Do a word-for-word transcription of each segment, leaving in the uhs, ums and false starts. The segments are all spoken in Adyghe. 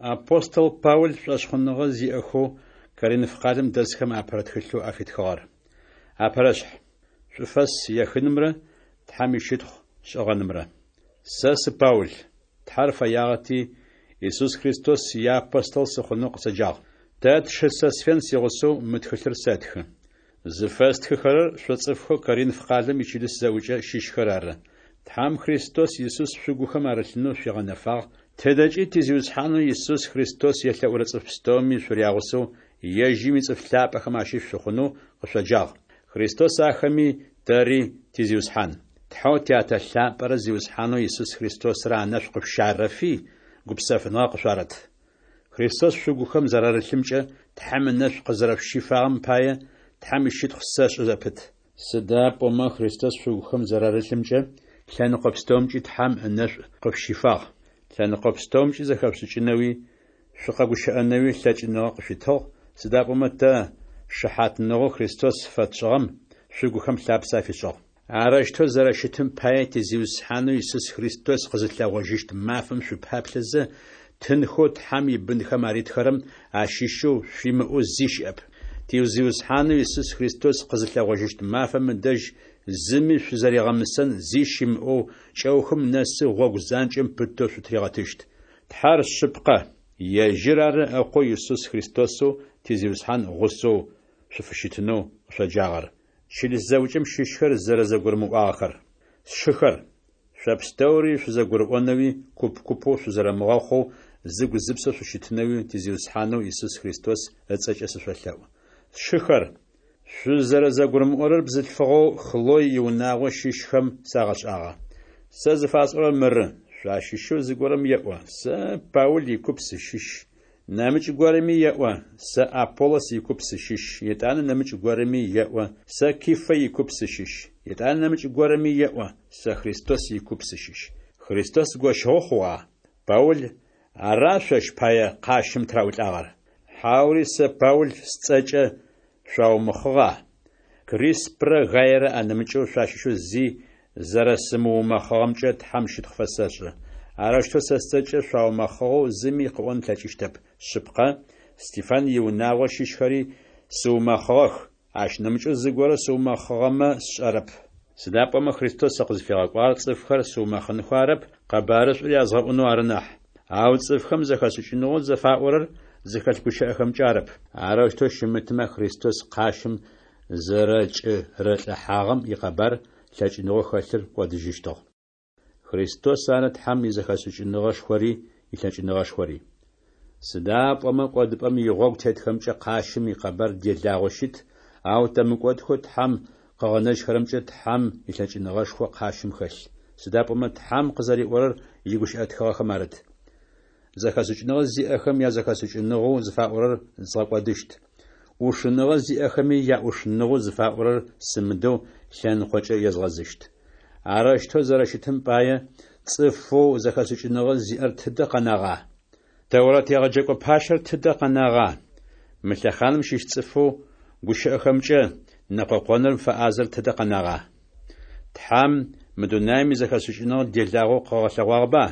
Апостол Паул шӏошъхъуныгъэ зиӏэхэу Коринф къалэм дэсхэм апэрэ тхылъэу афитхыгъэр. Апэрэшъхь. Шӏуфэс ехынымрэ Тхьэм ищытхъу шӏыгъэнымрэ. Сэ сы Паул. Тхьэр фэягъэти, Исус Христос иапостол сыхъунэу къысэджагъ. Тэ тшы Сосфен сигъусэу мы тхылъыр сэтхы. Зыфэстхыхэрэр шъо цӏыфхэу Коринф къалэм ичылыс зэӏукӏэ щыщхэр ары. Тхьэм Христос Исус шъугухэм арылъынэу шъуигъэнэфагъ, тыдэкӏи ти Зиусхьанэу Исус Христос елъэӏурэ цӏыф пстэуми шъурягъусэу ежьым ицӏыф лъапӏэхэм ащыщ шъухъунэу къышъоджагъ. Христос ахэми тэри ти Зиусхьан. Тхьэу Тятэ лъапӏэрэ Зиусхьанэу Исус Христосрэ анэшӏу къышъущарэфи, гупсэфыныгъэ къышъуарэт. Христос шъугухэм зэрарылъымкӏэ Тхьэм ынэшӏу къызэрэшъущифагъэм пае Тхьэм ищытхъу сэшӏы зэпыт. Сыда пӏомэ Христос шъугухэм зэрарылъымкӏэ лъэныкъо пстэумкӏи Тхьэм ынэшӏу къышъущифагъ. Лъэныкъо пстэумкӏи зэхэшъушӏыкӏынэуи шъукъэгущыӏэнэуи лъэкӏыныгъэ къышъуитыгъ, сыда пӏомэ тэ шыхьатныгъэу Христос фэтшӏыгъэм шъугухэм лъапсэ афишӏыгъ. Арэущтэу зэрэщытым пае ти Зиусхьанэу Исус Христос къызылъэгъожьыщт мафэм шъупаплъэзэ, тынхэу Тхьэм ибынхэм аритхэрэм ащыщэу шъуимыӏэу зи щыӏэп. Ти Зиусхьанэу Исус Христос къызылъэгъожьыщт мафэм ыдэжь зыми шъузэригъэмысэн зи щымыӏэу кӏэухым нэсы гъогу занкӏэм пытэу шъутыригъэтыщт. Тхьэр шъыпкъэ, ежьыр ары Ыкъоу Исус Христосэу ти Зиусхьан гъусэу шъуфыщытынэу къышъоджагъэр. Чылыс зэӏукӏэм щыщхэр зэрэзэгурымыӏуагъэхэр. Сшыхэр, шъо пстэури шъузэгурыӏонэуи, куп-купэу шъузэрэмыгъэхъоу, зыгу-зыпсэу шъущытынэуи ти Зиусхьанэу Исус Христос ыцӏэкӏэ сышъолъэӏу. Сшыхэр, шъузэрэзэгурымыӏорэр бзылъфыгъэу Хлой иунагъо щыщхэм сагъэшӏагъэ. Сэ зыфасӏорэр мыры: шъуащыщэу зыгорэм еӏо: «Сэ Паул икуп сыщыщ». Нэмыкӏ горэми еӏо: «Сэ Аполлос икуп сыщыщ». Етӏанэ нэмыкӏ горэми еӏо: «Сэ Кифэ икуп сыщыщ». Етӏанэ нэмыкӏ горэми еӏо: «Сэ Христос икуп сыщыщ». Христос гощыгъэу хъугъа? Паул ара шъощ пае къащым тыраӏулӏагъэр? Хьаури сэ Паул сцӏэкӏэ шъуаумэхъыгъа? Криспрэ Гаерэ анэмыкӏэу шъуащыщэу зи зэрэсымыумэхъыгъэмкӏэ Тхьэм щытхъу фэсэшӏы. Арэущтэу сэ сцӏэкӏэ шъуаумэхъыгъэу зыми къыӏон ылъэкӏыщтэп. Шъыпкъэ, Стефан иунагъо щыщхэри сыумэхъыгъэх, ащ нэмыкӏэу зыгорэ сыумэхъыгъэмэ сшӏэрэп. Сыда пӏомэ Христос сыкъызфигъэкӏуагъэр цӏыфхэр сыумэхъынхэу арэп, къэбарышӏур язгъэӏунэу ары нахь. Ау цӏыфхэм зэхэшӏыкӏыныгъэу зыфаӏорэр зыхэлъ гущыӏэхэмкӏэ арэп. Арэущтэу щымытмэ, Христос къащым зэрэкӏэрылӏыхьагъэм икъэбар лъэкӏыныгъэу хэлъыр кӏодыжьыщтыгъ. Христос ары Тхьэм изэхэшӏыкӏыныгъэшхори илъэкӏыныгъэшхори. Сыда пӏомэ кӏодыпӏэм игъогу тетхэмкӏэ къащым икъэбар делагъэу щыт, ау тэ мыкӏодхэу Тхьэм къыгъэнэжьхэрэмкӏэ Тхьэм илъэкӏыныгъэшхо къащым хэлъ. Сыда пӏомэ Тхьэм къызэриӏорэр игущыӏэ тхыгъэхэм арыт: Зэхэшӏыкӏыныгъэ зиӏэхэм язэхэшӏыкӏыныгъэу зыфаӏорэр згъэкӏодыщт. ӏушыныгъэ зиӏэхэми яӏушыныгъэу зыфаӏорэр сымыдэу лъэныкъокӏэ езгъэзыщт. Арэущтэу зэрэщытым пае, цӏыфэу зэхэшӏыкӏыныгъэ зиӏэр тыдэ къэнагъа? Тэурэт егъэджэкӏо пащэр тыдэ къэнагъа? Мы лъэхъаным щыщ цӏыфэу гущыӏэхэмкӏэ нэкъокъоным фэӏазэр тыдэ къэнагъа? Тхьэм мы дунаим изэхэшӏыкӏыныгъэ делагъэу къыгъэлъэгъуагъэба?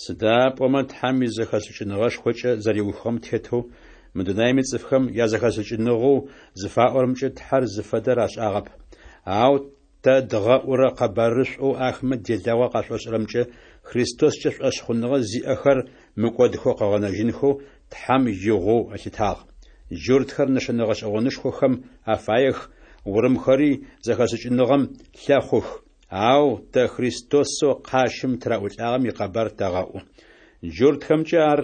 Сыда пӏомэ Тхьэм изэхэшӏыкӏыныгъэшхокӏэ зэриухыгъэм тетэу мы дунаим ицӏыфхэм язэхэшӏыкӏыныгъэу зыфаӏорэмкӏэ Тхьэр зыфэдэр ашӏагъэп. Ау тэ дгъэӏурэ къэбарышӏоу ахэмэ делагъо къашӏошӏырэмкӏэ Христоскӏэ шӏошъхъуныгъэ зиӏэхэр мыкӏодхэу къыгъэнэжьынхэу Тхьэм игъоу ылъытагъ. Джуртхэр нэшэнэ гъэшӏэгъонышхохэм афаех, урымхэри зэхэшӏыкӏыныгъэм лъэхъух. Ау тэ Христосэу къащым тыраӏулӏагъэм икъэбар тэгъэӏу. Джуртхэмкӏэ ар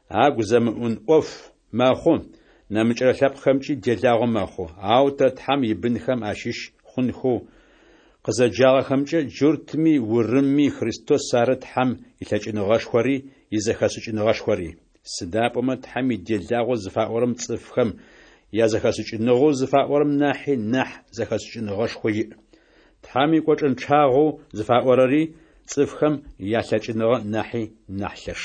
агу зэмыӏун ӏоф мэхъу, нэмыкӏырэ лъэпкъхэмкӏи делагъо мэхъу. Ау тэ Тхьэм ибынхэм ащыщ хъунхэу къызэджагъэхэмкӏэ джуртми урымми Христос ары Тхьэм илъэкӏыныгъэшхори изэхэшӏыкӏыныгъэшхори. Сыда пӏомэ Тхьэм иделагъэу зыфаӏорэм цӏыфхэм язэхэшӏыкӏыныгъэу зыфаӏорэм нахьи нахь зэхэшӏыкӏыныгъэшхо иӏ. Тхьэм икӏочӏэнчъагъэу зыфаӏорэри цӏыфхэм ялъэкӏыныгъэ нахьи нахь лъэш.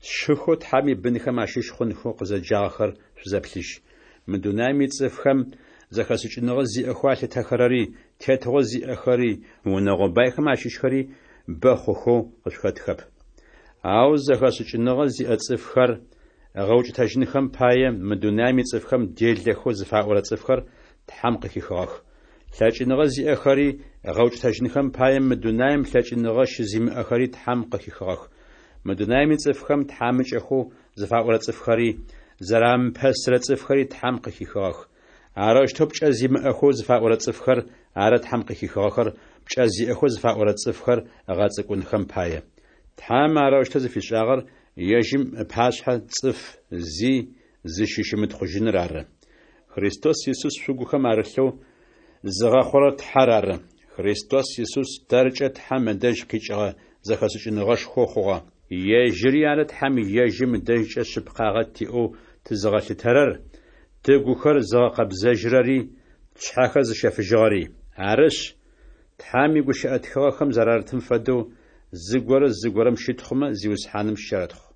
Сшыхэу Тхьэм ибынхэм ащыщ хъунхэу къызэджагъэхэр шъузэплъыжь. Мы дунаим ицӏыфхэм зэхэшӏыкӏыныгъэ зиӏэхэу алъытэхэрэри, тетыгъо зиӏэхэри, унэгъо байхэм ащыщхэри бэ хъухэу къышъухэтхэп. Ау зэхэшӏыкӏыныгъэ зиӏэ цӏыфхэр ыгъэукӏытэжьынхэм пае, мы дунаем ицӏыфхэм делэхэу зыфаӏорэ цӏыфхэр Тхьэм къыхихыгъэх. Лъэкӏыныгъэ зиӏэхэри ыгъэукӏытэжьынхэм пае, мы дунаем лъэкӏыныгъэ щызимыӏэхэри Тхьэм къыхихыгъэх. Мы дунаем ицӏыфхэм тхьамыкӏэхэу зыфаӏорэ цӏыфхэри, зэрамыпэсырэ цӏыфхэри Тхьэм къыхихыгъэх. Арэущтэу пкӏэ зимыӏэхэу зыфаӏорэ цӏыфхэр ары Тхьэм къыхихыгъэхэр пкӏэ зиӏэхэу зыфаӏорэ цӏыфхэр ыгъэцӏыкӏунхэм пае. Тхьэм арэущтэу зыфишӏагъэр ежьым ыпашъхьэ цӏыф зи зыщыщымытхъужьыныр ары. Христос Исус шъугухэм арылъэу зыгъэхъурэр Тхьэр ары. Христос Исус тэркӏэ Тхьэм ыдэжь къикӏыгъэ зэхэшӏыкӏыныгъэшхоу хъугъэ. Ежьыри ары Тхьэм ежьым ыдэжькӏэ шъыпкъагъэ тиӏэу тызыгъэлъытэрэр, тыгухэр зыгъэкъэбзэжьырэри, тшъхьэхэр зыщэфыжьыгъэри. Арышъ, Тхьэм игущыӏэ тхыгъэхэм зэрарытым фэдэу, Зыгорэ зыгорэм щытхъумэ, Зиусхьаным щерэтхъу.